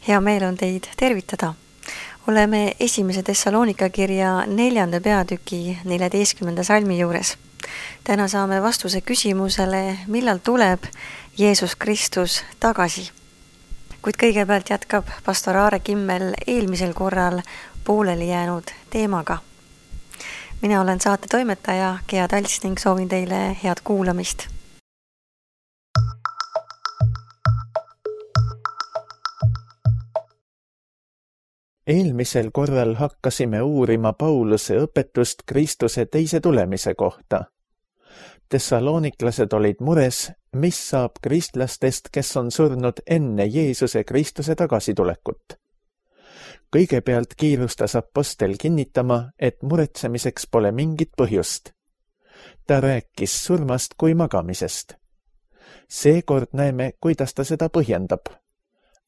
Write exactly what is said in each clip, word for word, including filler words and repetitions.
Hea meel on teid tervitada. Oleme esimese Thessalonika kirja neljanda peatüki neljateistkümnenda salmi juures. Täna saame vastuse küsimusele, millal tuleb Jeesus Kristus tagasi. Kuid kõigepealt jätkab pastor Aare Kimmel eelmisel korral pooleli jäänud teemaga. Mina olen saate toimetaja Gea Talts ning soovin teile head kuulamist. Eelmisel korral hakkasime uurima Pauluse õpetust Kristuse teise tulemise kohta. Thessaloniklased olid mures, mis saab kristlastest, kes on surnud enne Jeesuse Kristuse tagasitulekut. Kõigepealt kiirustas apostel kinnitama, et muretsemiseks pole mingit põhjust. Ta rääkis surmast kui magamisest. Seekord näeme, kuidas ta seda põhjendab.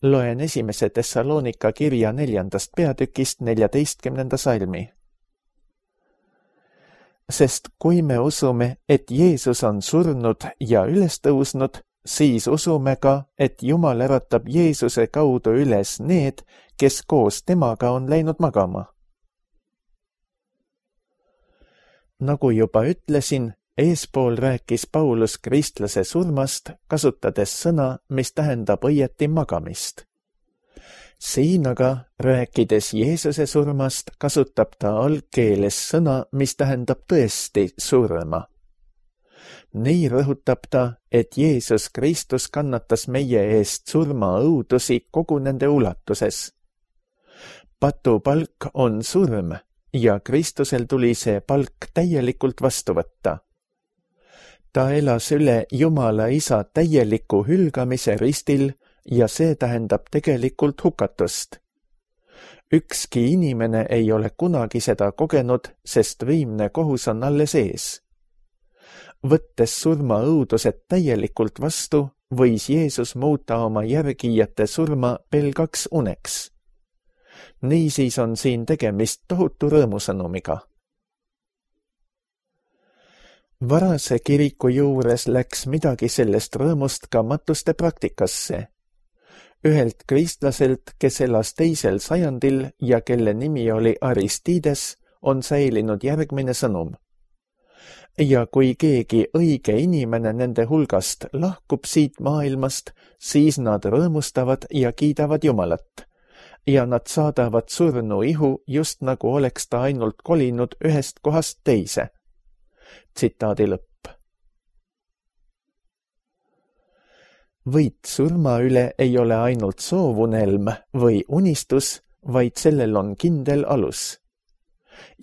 Loen esimese Thessalonika kirja neljandast peatükist neljateistkümnenda salmi. Sest kui me usume, et Jeesus on surnud ja üles tõusnud, siis usume ka, et Jumal äratab Jeesuse kaudu üles need, kes koos temaga on läinud magama. Nagu juba ütlesin, eespool rääkis Paulus kristlase surmast, kasutades sõna, mis tähendab õieti magamist. Siin aga, rääkides Jeesuse surmast, kasutab ta algkeeles sõna, mis tähendab tõesti surma. Nii rõhutab ta, et Jeesus Kristus kannatas meie eest surma õudusi kogu nende ulatuses. Patu palk on surm ja Kristusel tuli see palk täielikult vastu võtta. Ta elas üle Jumala Isa täieliku hülgamise ristil ja see tähendab tegelikult hukatust. Ükski inimene ei ole kunagi seda kogenud, sest viimne kohus on alles ees. Võttes surma õudused täielikult vastu, võis Jeesus muuta oma järgijate surma pelgaks uneks. Niisiis on siin tegemist tohutu rõõmusõnumiga. Varase kiriku juures läks midagi sellest rõõmust ka matuste praktikasse. Ühelt kristlaselt, kes elas teisel sajandil ja kelle nimi oli Aristides, on säilinud järgmine sõnum. Ja kui keegi õige inimene nende hulgast lahkub siit maailmast, siis nad rõõmustavad ja kiidavad Jumalat. Ja nad saadavad surnu ihu, just nagu oleks ta ainult kolinud ühest kohast teise. Tsitaadi lõpp. Võit surma üle ei ole ainult soovunelm või unistus, vaid sellel on kindel alus.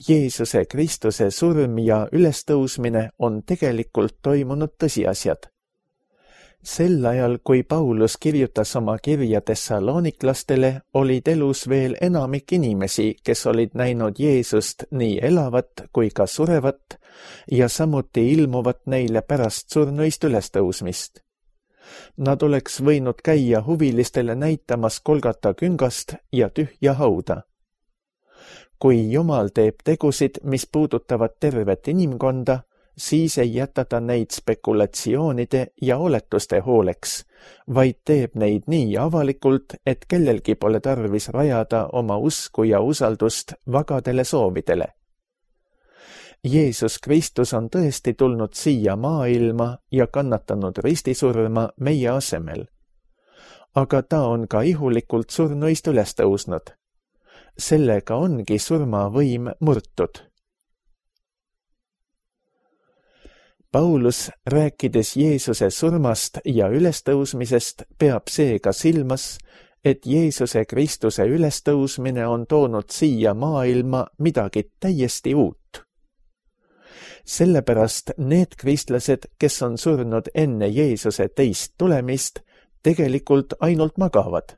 Jeesuse Kristuse surm ja ülestõusmine on tegelikult toimunud tõsiasjad. Sel ajal, kui Paulus kirjutas oma kirja Thessaloniklastele, olid elus veel enamik inimesi, kes olid näinud Jeesust nii elavat kui ka surevat ja samuti ilmuvat neile pärast surnuist ülestõusmist. Nad oleks võinud käia huvilistele näitamas Golgata küngast ja tühja hauda. Kui Jumal teeb tegusid, mis puudutavad tervet inimkonda, siis ei jäta ta neid spekulatsioonide ja oletuste hooleks, vaid teeb neid nii avalikult, et kellelgi pole tarvis rajada oma usku ja usaldust vagadele soovidele. Jeesus Kristus on tõesti tulnud siia maailma ja kannatanud ristisurma meie asemel. Aga ta on ka ihulikult surnuist üles tõusnud. Sellega ongi surma võim murtud. Paulus, rääkides Jeesuse surmast ja ülestõusmisest, peab seega silmas, et Jeesuse Kristuse ülestõusmine on toonud siia maailma midagi täiesti uut. Sellepärast need kristlased, kes on surnud enne Jeesuse teist tulemist, tegelikult ainult magavad.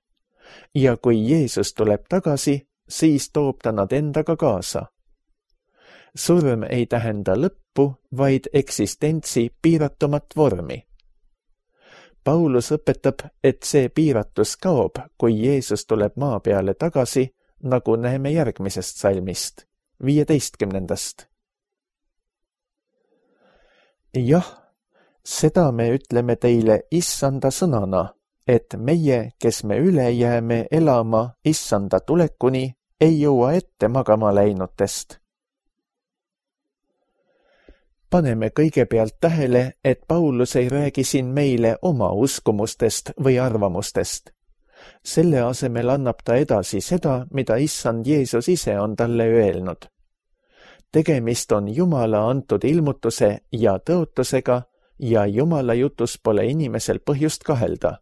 Ja kui Jeesus tuleb tagasi, siis toob ta nad endaga kaasa. Surm ei tähenda lõppu, vaid eksistentsi piiratumat vormi. Paulus õpetab, et see piiratus kaob, kui Jeesus tuleb maa peale tagasi, nagu näeme järgmisest salmist, viieteistkümnendast. Jah, seda me ütleme teile issanda sõnana, et meie, kes me üle jääme elama issanda tulekuni, ei jõua ette magama läinutest. Paneme kõigepealt tähele, et Paulus ei räägi siin meile oma uskumustest või arvamustest. Selle asemel annab ta edasi seda, mida issand Jeesus ise on talle öelnud. Tegemist on Jumala antud ilmutuse ja tõotusega ja Jumala jutus pole inimesel põhjust kahelda.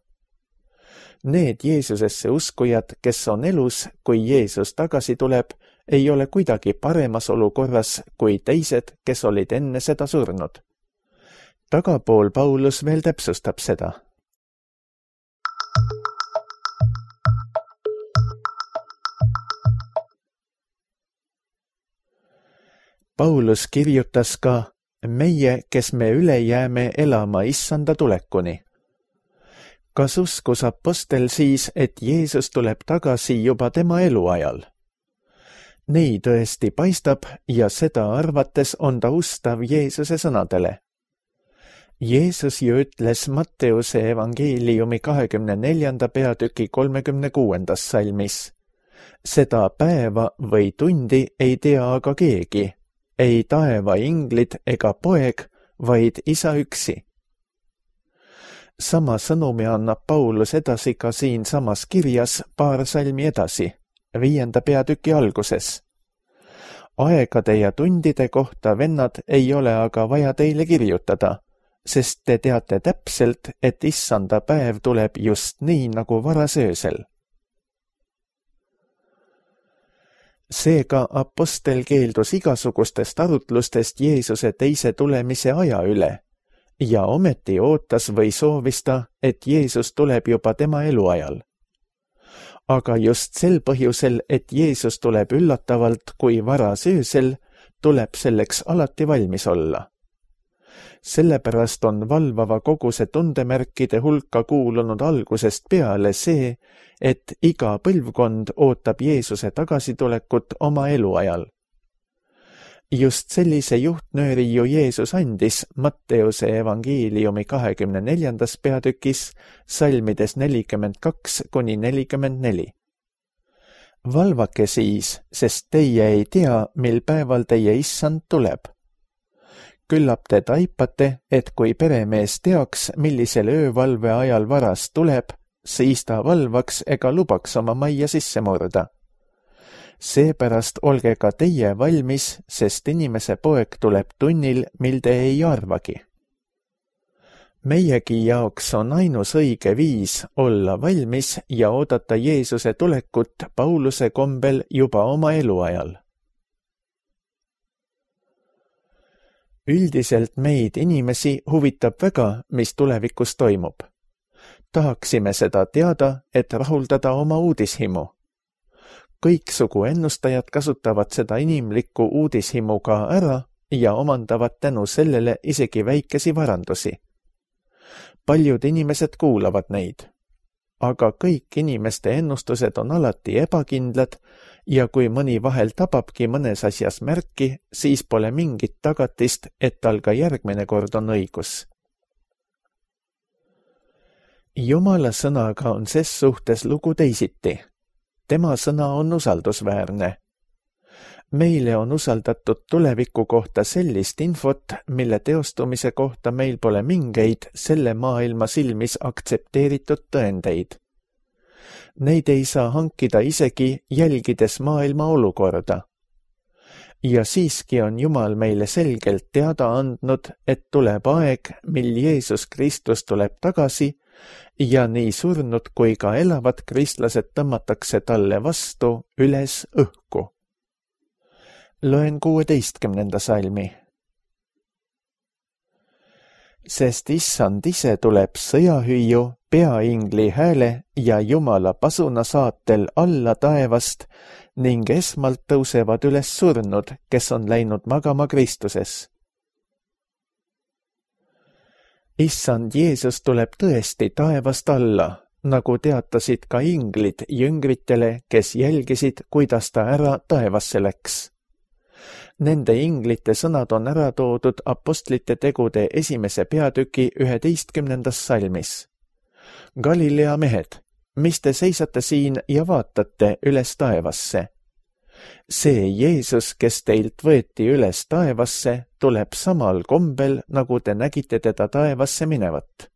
Need Jeesusesse uskujad, kes on elus, kui Jeesus tagasi tuleb, ei ole kuidagi paremas olukorras kui teised, kes olid enne seda surnud. Tagapool Paulus veel täpsustab seda. Paulus kirjutas ka, meie, kes me üle jääme elama issanda tulekuni. Kas uskus apostel siis, et Jeesus tuleb tagasi juba tema eluajal? Nii tõesti paistab ja seda arvates on ta ustav Jeesuse sõnadele. Jeesus ju ütles Matteuse evangeeliumi kahekümne neljanda peatüki kolmekümne kuuendas salmis. Seda päeva või tundi ei tea aga keegi, ei taeva inglid ega poeg, vaid isa üksi. Sama sõnumi annab Paulus edasi ka siin samas kirjas paar salmi edasi, viienda peatüki alguses. Aegade ja tundide kohta, vennad, ei ole aga vaja teile kirjutada, sest te teate täpselt, et issanda päev tuleb just nii nagu varasöösel. Seega apostel keeldus igasugustest arutlustest Jeesuse teise tulemise aja üle ja ometi ootas või soovis ta, et Jeesus tuleb juba tema eluajal. Aga just sel põhjusel, et Jeesus tuleb üllatavalt kui varasöösel, tuleb selleks alati valmis olla. Sellepärast on valvava koguse tundemärkide hulka kuulunud algusest peale see, et iga põlvkond ootab Jeesuse tagasitulekut oma eluajal. Just sellise juhtnööri ju Jeesus andis Matteuse evangeeliumi kahekümne neljandas peatükis salmides nelikümmend kaks kuni nelikümmend neli. Valvake siis, sest teie ei tea, mil päeval teie issand tuleb. Küllap te taipate, et kui peremees teaks, millisel öövalve ajal varas tuleb, siis ta valvaks ega lubaks oma majja sisse murda. Seepärast olge ka teie valmis, sest inimese poeg tuleb tunnil, mil te ei arvagi. Meiegi jaoks on ainus õige viis olla valmis ja oodata Jeesuse tulekut Pauluse kombel juba oma eluajal. Üldiselt meid inimesi huvitab väga, mis tulevikus toimub. Tahaksime seda teada, et rahuldada oma uudishimu. Kõiksugu ennustajad kasutavad seda inimlikku uudishimu ka ära ja omandavad tänu sellele isegi väikesi varandusi. Paljud inimesed kuulavad neid. Aga kõik inimeste ennustused on alati ebakindlad ja kui mõni vahel tababki mõnes asjas märki, siis pole mingit tagatist, et tal ka järgmine kord on õigus. Jumala sõnaga on ses suhtes lugu teisiti. Tema sõna on usaldusväärne. Meile on usaldatud tuleviku kohta sellist infot, mille teostumise kohta meil pole mingeid selle maailma silmis aktsepteeritud tõendeid. Neid ei saa hankida isegi jälgides maailma olukorda. Ja siiski on Jumal meile selgelt teada andnud, et tuleb aeg, mil Jeesus Kristus tuleb tagasi ja nii surnud kui ka elavad kristlased tõmmatakse talle vastu üles õhku. Loen kuueteistkümnenda salmi. Sest issand ise tuleb sõjahüüju, peaingli hääle ja Jumala pasuna saatel alla taevast ning esmalt tõusevad üles surnud, kes on läinud magama Kristuses. Issand Jeesus tuleb tõesti taevast alla, nagu teatasid ka inglid jüngritele, kes jälgisid, kuidas ta ära taevasse läks. Nende inglite sõnad on ära toodud apostlite tegude esimese peatüki üheteistkümnendas salmis. Galilea mehed, mis te seisate siin ja vaatate üles taevasse? See Jeesus, kes teilt võeti üles taevasse, tuleb samal kombel, nagu te nägite teda taevasse minevat.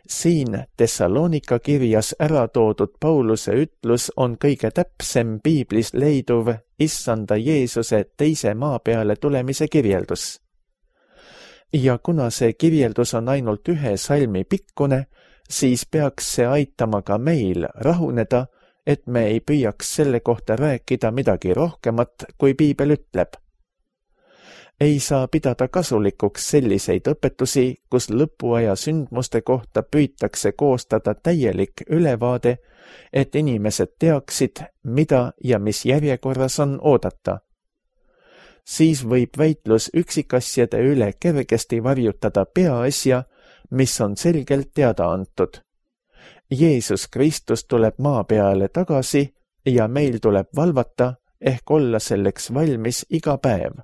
Siin Thessalonika kirjas ära toodud Pauluse ütlus on kõige täpsem piiblis leiduv issanda Jeesuse teise maa peale tulemise kirjeldus. Ja kuna see kirjeldus on ainult ühe salmi pikkune, siis peaks see aitama ka meil rahuneda, et me ei püüaks selle kohta rääkida midagi rohkemat, kui piibel ütleb. Ei saa pidada kasulikuks selliseid õpetusi, kus lõpuaja sündmuste kohta püütakse koostada täielik ülevaade, et inimesed teaksid, mida ja mis järjekorras on oodata. Siis võib väitlus üksikasjade üle kergesti varjutada peaasja, mis on selgelt teada antud. Jeesus Kristus tuleb maa peale tagasi ja meil tuleb valvata ehk olla selleks valmis iga päev.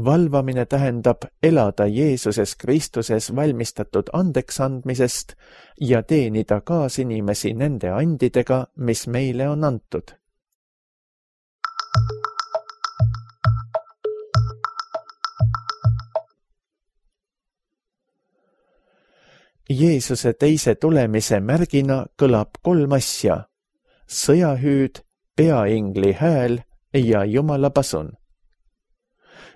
Valvamine tähendab elada Jeesuses Kristuses valmistatud andeksandmisest ja teenida kaasinimesi nende andidega, mis meile on antud. Jeesuse teise tulemise märgina kõlab kolm asja: sõjahüüd, peaingli hääl ja Jumala pasun.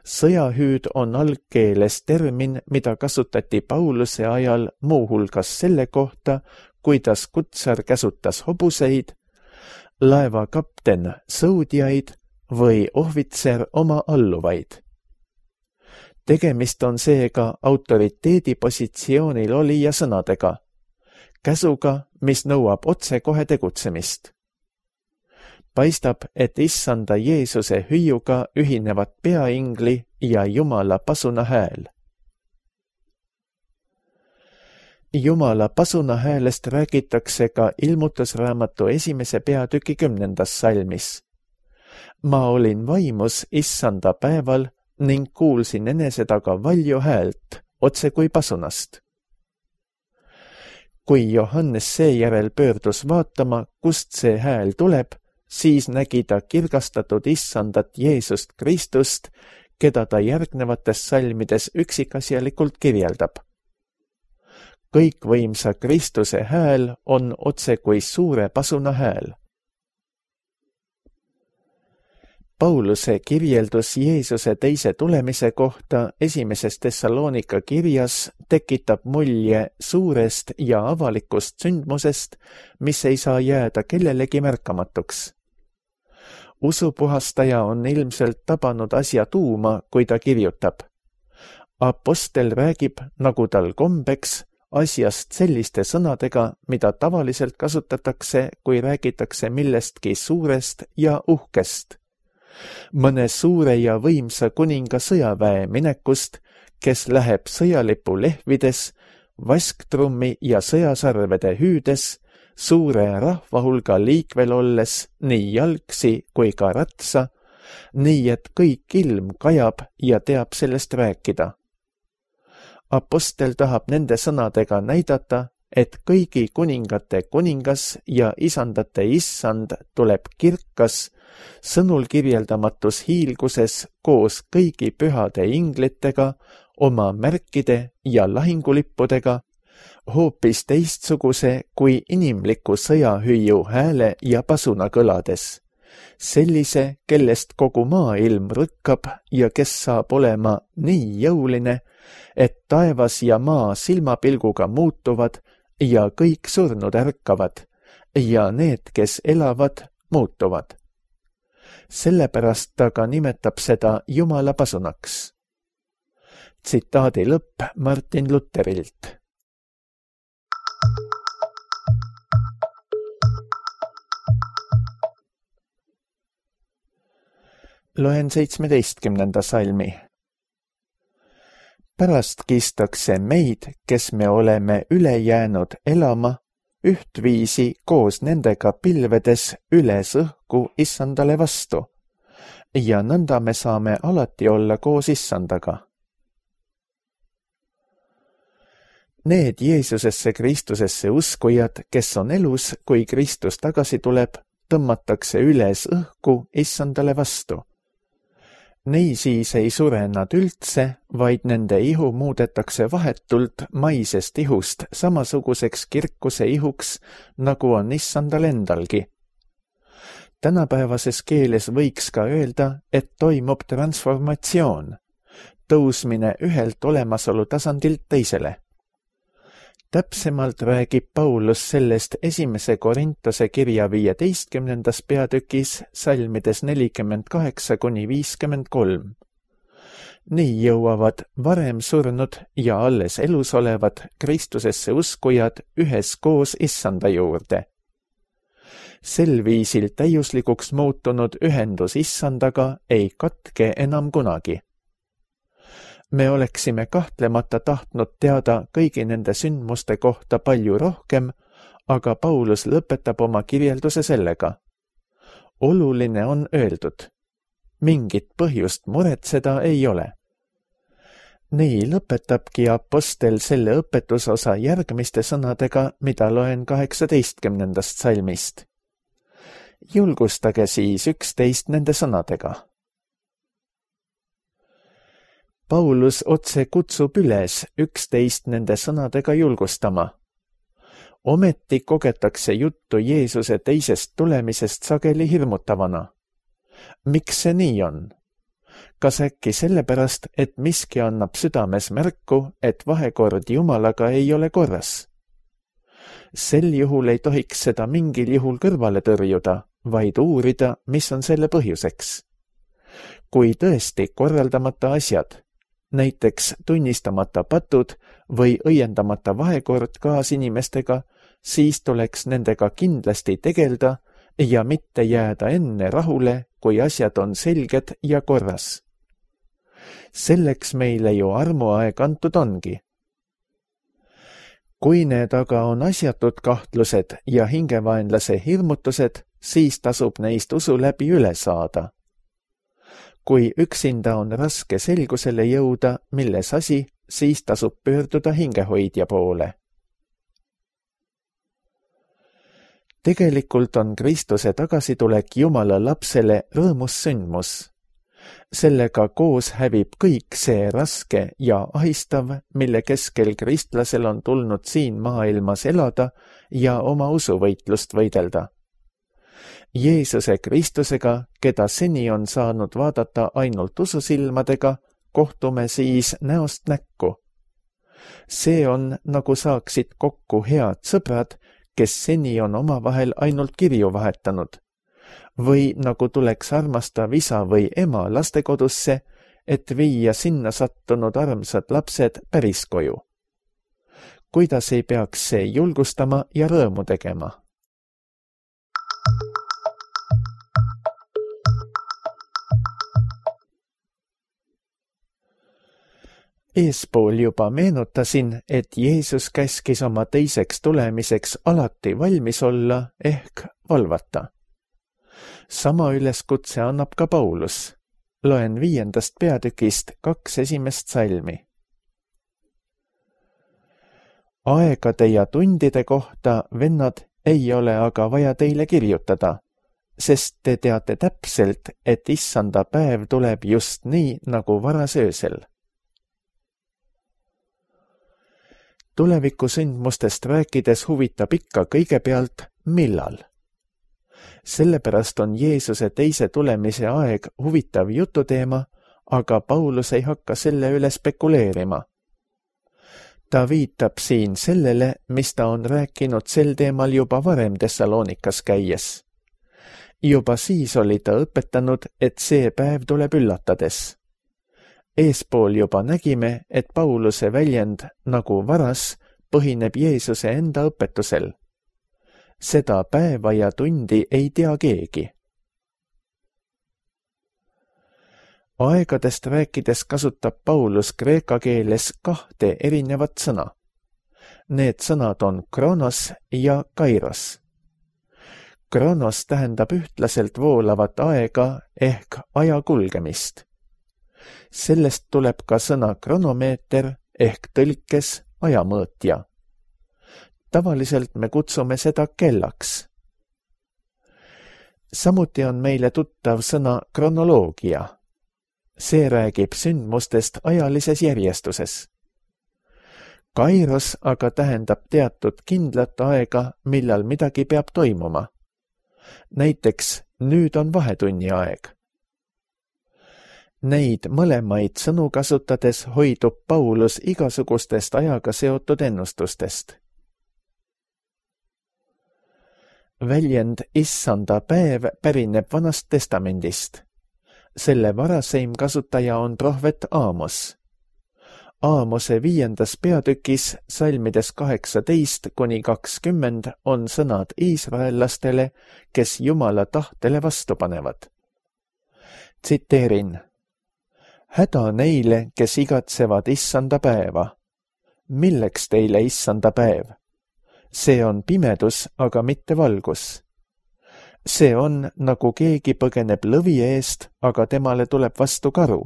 Sõjahüüd on algkeeles termin, mida kasutati Pauluse ajal muuhulgas selle kohta, kuidas kutsar käsutas hobuseid, laeva kapten sõudjaid või ohvitser oma alluvaid. Tegemist on seega autoriteedipositsioonil olija sõnadega, käsuga, mis nõuab otsekohe tegutsemist. Paistab, et issanda Jeesuse hüüuga ühinevad peaingli ja Jumala pasuna hääl. Jumala pasuna häälest räägitakse ka ilmutusraamatu esimese peatüki kümnendas salmis. Ma olin vaimus issanda päeval ning kuulsin enese taga valju häält, otse kui pasunast. Kui Johannes seejärel pöördus vaatama, kust see hääl tuleb, siis nägi ta kirgastatud issandat Jeesust Kristust, keda ta järgnevates salmides üksikasjalikult kirjeldab. Kõikvõimsa Kristuse hääl on otse kui suure pasuna hääl. Pauluse kirjeldus Jeesuse teise tulemise kohta esimeses Thessalonika kirjas tekitab mulje suurest ja avalikust sündmusest, mis ei saa jääda kellelegi märkamatuks. Usupuhastaja on ilmselt tabanud asja tuuma, kui ta kirjutab. Apostel räägib, nagu tal kombeks, asjast selliste sõnadega, mida tavaliselt kasutatakse, kui räägitakse millestki suurest ja uhkest. Mõne suure ja võimsa kuninga sõjaväe minekust, kes läheb sõjalipu lehvides, vasktrummi ja sõjasarvede hüüdes, suure rahvahulga liikvel olles nii jalgsi kui ka ratsa, nii et kõik ilm kajab ja teab sellest rääkida. Apostel tahab nende sõnadega näidata, et kõigi kuningate kuningas ja isandate issand tuleb kirkas, sõnul kirjeldamatus hiilguses koos kõigi pühade inglitega, oma märkide ja lahingulippudega, hoopis teistsuguse kui inimliku sõjahüüu hääle ja pasuna kõlades. Sellise, kellest kogu maailm rõkkab ja kes saab olema nii jõuline, et taevas ja maa silmapilguga muutuvad ja kõik surnud ärkavad ja need, kes elavad, muutuvad. Sellepärast ta ka nimetab seda Jumala pasunaks. Tsitaadi lõpp Martin Luterilt. Loen seitsmeteistkümnenda salmi. Pärast kistakse meid, kes me oleme üle jäänud elama, ühtviisi koos nendega pilvedes üles õhku issandale vastu, ja nõnda me saame alati olla koos issandaga. Need Jeesusesse Kristusesse uskujad, kes on elus, kui Kristus tagasi tuleb, tõmmatakse üles õhku issandale vastu. Niisiis ei sure nad üldse, vaid nende ihu muudetakse vahetult maisest ihust samasuguseks kirkuse ihuks, nagu on issandal endalgi. Tänapäevases keeles võiks ka öelda, et toimub transformatsioon, tõusmine ühelt olemasolu tasandilt teisele. Täpsemalt räägib Paulus sellest esimese Korintuse kirja viieteistkümnendas peatükis salmides nelikümmend kaheksa kuni viiskümmend kolm. Nii jõuavad varem surnud ja alles elus olevad Kristusesse uskujad üheskoos issanda juurde. Sel viisil täiuslikuks muutunud ühendus issandaga ei katke enam kunagi. Me oleksime kahtlemata tahtnud teada kõigi nende sündmuste kohta palju rohkem, aga Paulus lõpetab oma kirjelduse sellega. Oluline on öeldud. Mingit põhjust muretseda ei ole. Nii lõpetabki apostel selle õpetusosa järgmiste sõnadega, mida loen kaheksateistkümnendast salmist. Julgustage siis üksteist nende sõnadega. Paulus otse kutsub üles üksteist nende sõnadega julgustama. Ometi kogetakse juttu Jeesuse teisest tulemisest sageli hirmutavana. Miks see nii on? Kas äkki sellepärast, et miski annab südames märku, et vahekord Jumalaga ei ole korras? Sel juhul ei tohiks seda mingil juhul kõrvale tõrjuda, vaid uurida, mis on selle põhjuseks. Kui tõesti korraldamata asjad, näiteks tunnistamata patud või õiendamata vahekord kaasinimestega, siis tuleks nendega kindlasti tegelda ja mitte jääda enne rahule, kui asjad on selged ja korras. Selleks meile ju armuaeg antud ongi. Kui need aga on asjatud kahtlused ja hingevaenlase hirmutused, siis tasub neist usu läbi üle saada. Kui üksinda on raske selgusele jõuda, milles asi, siis tasub pöörduda hingehoidja poole. Tegelikult on Kristuse tagasitulek Jumala lapsele rõõmus sündmus. Sellega koos hävib kõik see raske ja ahistav, mille keskel kristlasel on tulnud siin maailmas elada ja oma usuvõitlust võidelda. Jeesuse Kristusega, keda seni on saanud vaadata ainult ususilmadega, kohtume siis näost näkku. See on, nagu saaksid kokku head sõbrad, kes seni on omavahel ainult kirju vahetanud. Või nagu tuleks armastav isa või ema lastekodusse, et viia sinna sattunud armsad lapsed päris koju. Kuidas ei peaks see julgustama ja rõõmu tegema? Eespool juba meenutasin, et Jeesus käskis oma teiseks tulemiseks alati valmis olla ehk valvata. Sama üleskutse annab ka Paulus. Loen viiendast peatükist kaks esimest salmi. Aegade ja tundide kohta, vennad, ei ole aga vaja teile kirjutada, sest te teate täpselt, et issanda päev tuleb just nii, nagu varas öösel. Tulevikusündmustest rääkides huvitab ikka kõigepealt, millal. Sellepärast on Jeesuse teise tulemise aeg huvitav jututeema, aga Paulus ei hakka selle üle spekuleerima. Ta viitab siin sellele, mis ta on rääkinud sel teemal juba varem Thessalonikas käies. Juba siis oli ta õpetanud, et see päev tuleb üllatades. Eespool juba nägime, et Pauluse väljend nagu varas põhineb Jeesuse enda õpetusel. Seda päeva ja tundi ei tea keegi. Aegadest rääkides kasutab Paulus kreeka keeles kahte erinevat sõna. Need sõnad on kronos ja kairos. Kronos tähendab ühtlaselt voolavat aega ehk aja kulgemist. Sellest tuleb ka sõna kronomeeter ehk tõlkes ajamõõtja. Tavaliselt me kutsume seda kellaks. Samuti on meile tuttav sõna kronoloogia. See räägib sündmustest ajalises järjestuses. Kairos aga tähendab teatud kindlat aega, millal midagi peab toimuma. Näiteks nüüd on vahetunni aeg. Neid mõlemaid sõnu kasutades hoidub Paulus igasugustest ajaga seotud ennustustest. Väljend issanda päev pärineb Vanast testamendist. Selle varaseim kasutaja on prohvet Aamos. Aamose viiendas peatükis salmides kaheksateist kuni kakskümmend on sõnad iisraellastele, kes Jumala tahtele vastu panevad. Tsiteerin. Häda neile, kes igatsevad issanda päeva. Milleks teile issanda päev? See on pimedus, aga mitte valgus. See on, nagu keegi põgeneb lõvi eest, aga temale tuleb vastu karu.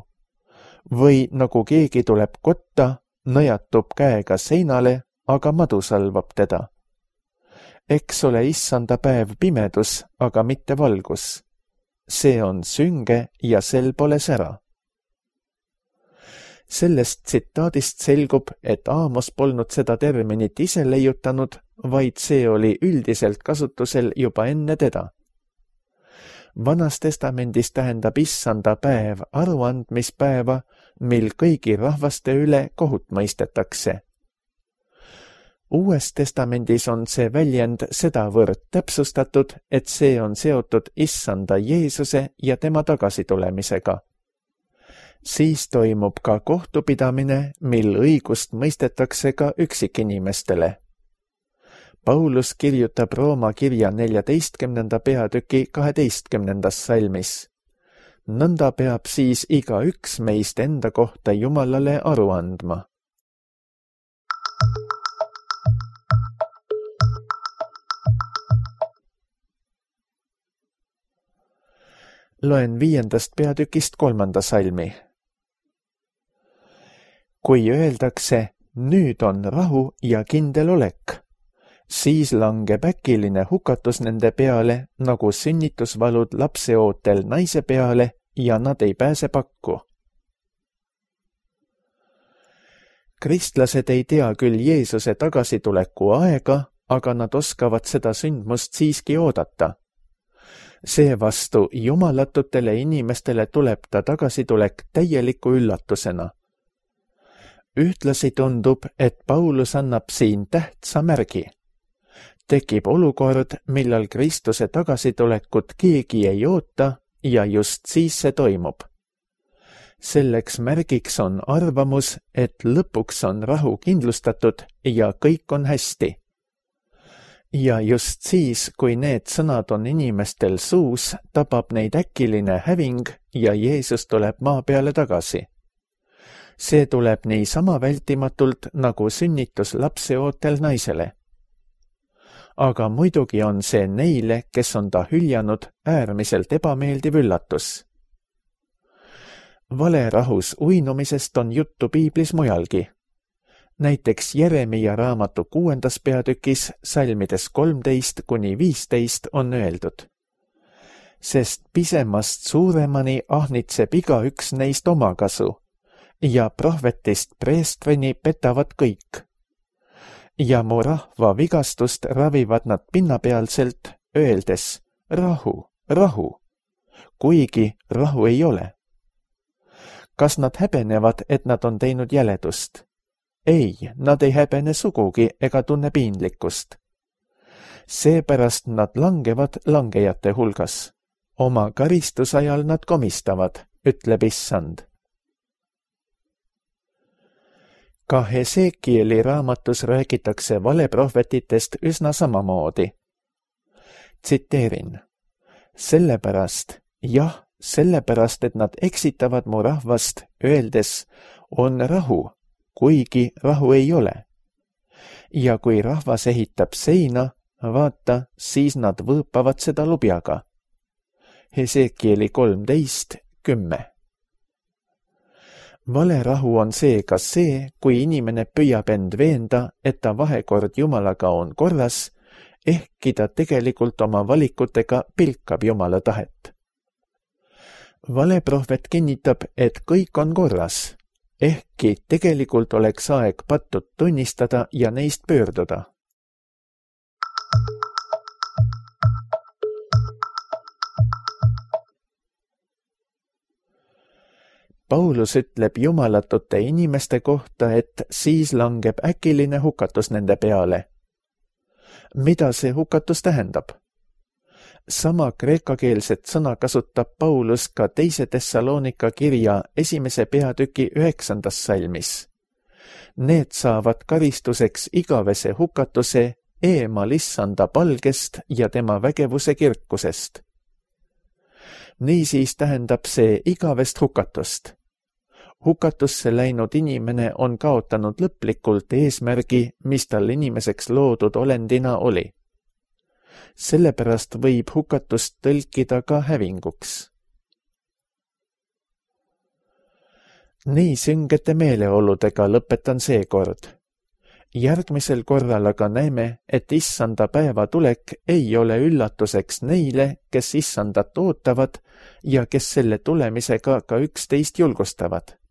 Või nagu keegi tuleb kotta, nõjatub käega seinale, aga madu salvab teda. Eks ole issanda päev pimedus, aga mitte valgus. See on sünge ja sel pole sära. Sellest tsitaadist selgub, et Aamos polnud seda terminit ise leiutanud, vaid see oli üldiselt kasutusel juba enne teda. Vanas testamendis tähendab issanda päev aruandmispäeva, mil kõigi rahvaste üle kohut mõistetakse. Uues testamendis on see väljend sedavõrd täpsustatud, et see on seotud issanda Jeesuse ja tema tagasitulemisega. Siis toimub ka kohtupidamine, mil õigust mõistetakse ka üksikinimestele. Paulus kirjutab Rooma kirja neljateistkümnenda peatüki kaheteistkümnendas salmis. Nõnda peab siis iga üks meist enda kohta Jumalale aru andma. Loen viiendast peatükist kolmanda salmi. Kui öeldakse, nüüd on rahu ja kindel olek, siis langeb äkiline hukatus nende peale, nagu sünnitusvalud lapseootel naise peale ja nad ei pääse pakku. Kristlased ei tea küll Jeesuse tagasituleku aega, aga nad oskavad seda sündmust siiski oodata. Seevastu jumalatutele inimestele tuleb ta tagasitulek täieliku üllatusena. Ühtlasi tundub, et Paulus annab siin tähtsa märgi. Tekib olukord, millal Kristuse tagasitulekut keegi ei oota ja just siis see toimub. Selleks märgiks on arvamus, et lõpuks on rahu kindlustatud ja kõik on hästi. Ja just siis, kui need sõnad on inimestel suus, tabab neid äkiline häving ja Jeesus tuleb maa peale tagasi. See tuleb niisama vältimatult, nagu sünnitus lapseootel naisele. Aga muidugi on see neile, kes on ta hüljanud, äärmiselt ebameeldiv üllatus. Valerahus uinumisest on juttu piiblis mujalgi. Näiteks Jeremia raamatu kuuendas peatükis salmides kolmteist kuni viisteist on öeldud. Sest pisemast suuremani ahnitseb igaüks neist omakasu ja prohvetist preestrini petavad kõik. Ja mu rahva vigastust ravivad nad pinnapealselt, öeldes rahu, rahu, kuigi rahu ei ole. Kas nad häbenevad, et nad on teinud jäledust? Ei, nad ei häbene sugugi ega tunne piinlikkust. Seepärast nad langevad langejate hulgas. Oma karistusajal nad komistavad, ütleb issand. Ka Hesekieli raamatus räägitakse valeprohvetitest üsna samamoodi. Tsiteerin. Sellepärast, jah, sellepärast, et nad eksitavad mu rahvast, öeldes, on rahu, kuigi rahu ei ole. Ja kui rahvas ehitab seina, vaata, siis nad võõpavad seda lubjaga. Hesekieli kolmteist kümme. valerahu on seega see, kui inimene püüab end veenda, et ta vahekord Jumalaga on korras, ehkki ta tegelikult oma valikutega pilkab Jumala tahet. Valeprohvet kinnitab, et kõik on korras, ehkki tegelikult oleks aeg pattud tunnistada ja neist pöörduda. Paulus ütleb jumalatute inimeste kohta, et siis langeb äkiline hukatus nende peale. Mida see hukatus tähendab? Sama kreekakeelset sõna kasutab Paulus ka teise Thessalonika kirja esimese peatüki üheksandas salmis. Need saavad karistuseks igavese hukatuse eemal issanda palgest ja tema vägevuse kirkusest. Niisiis tähendab see igavest hukatust. Hukatusse läinud inimene on kaotanud lõplikult eesmärgi, mis tal inimeseks loodud olendina oli. Sellepärast võib hukatust tõlkida ka hävinguks. Nii süngete meeleoludega lõpetan seekord. Järgmisel korral aga näeme, et issanda päeva tulek ei ole üllatuseks neile, kes issandat ootavad ja kes selle tulemisega ka üksteist julgustavad.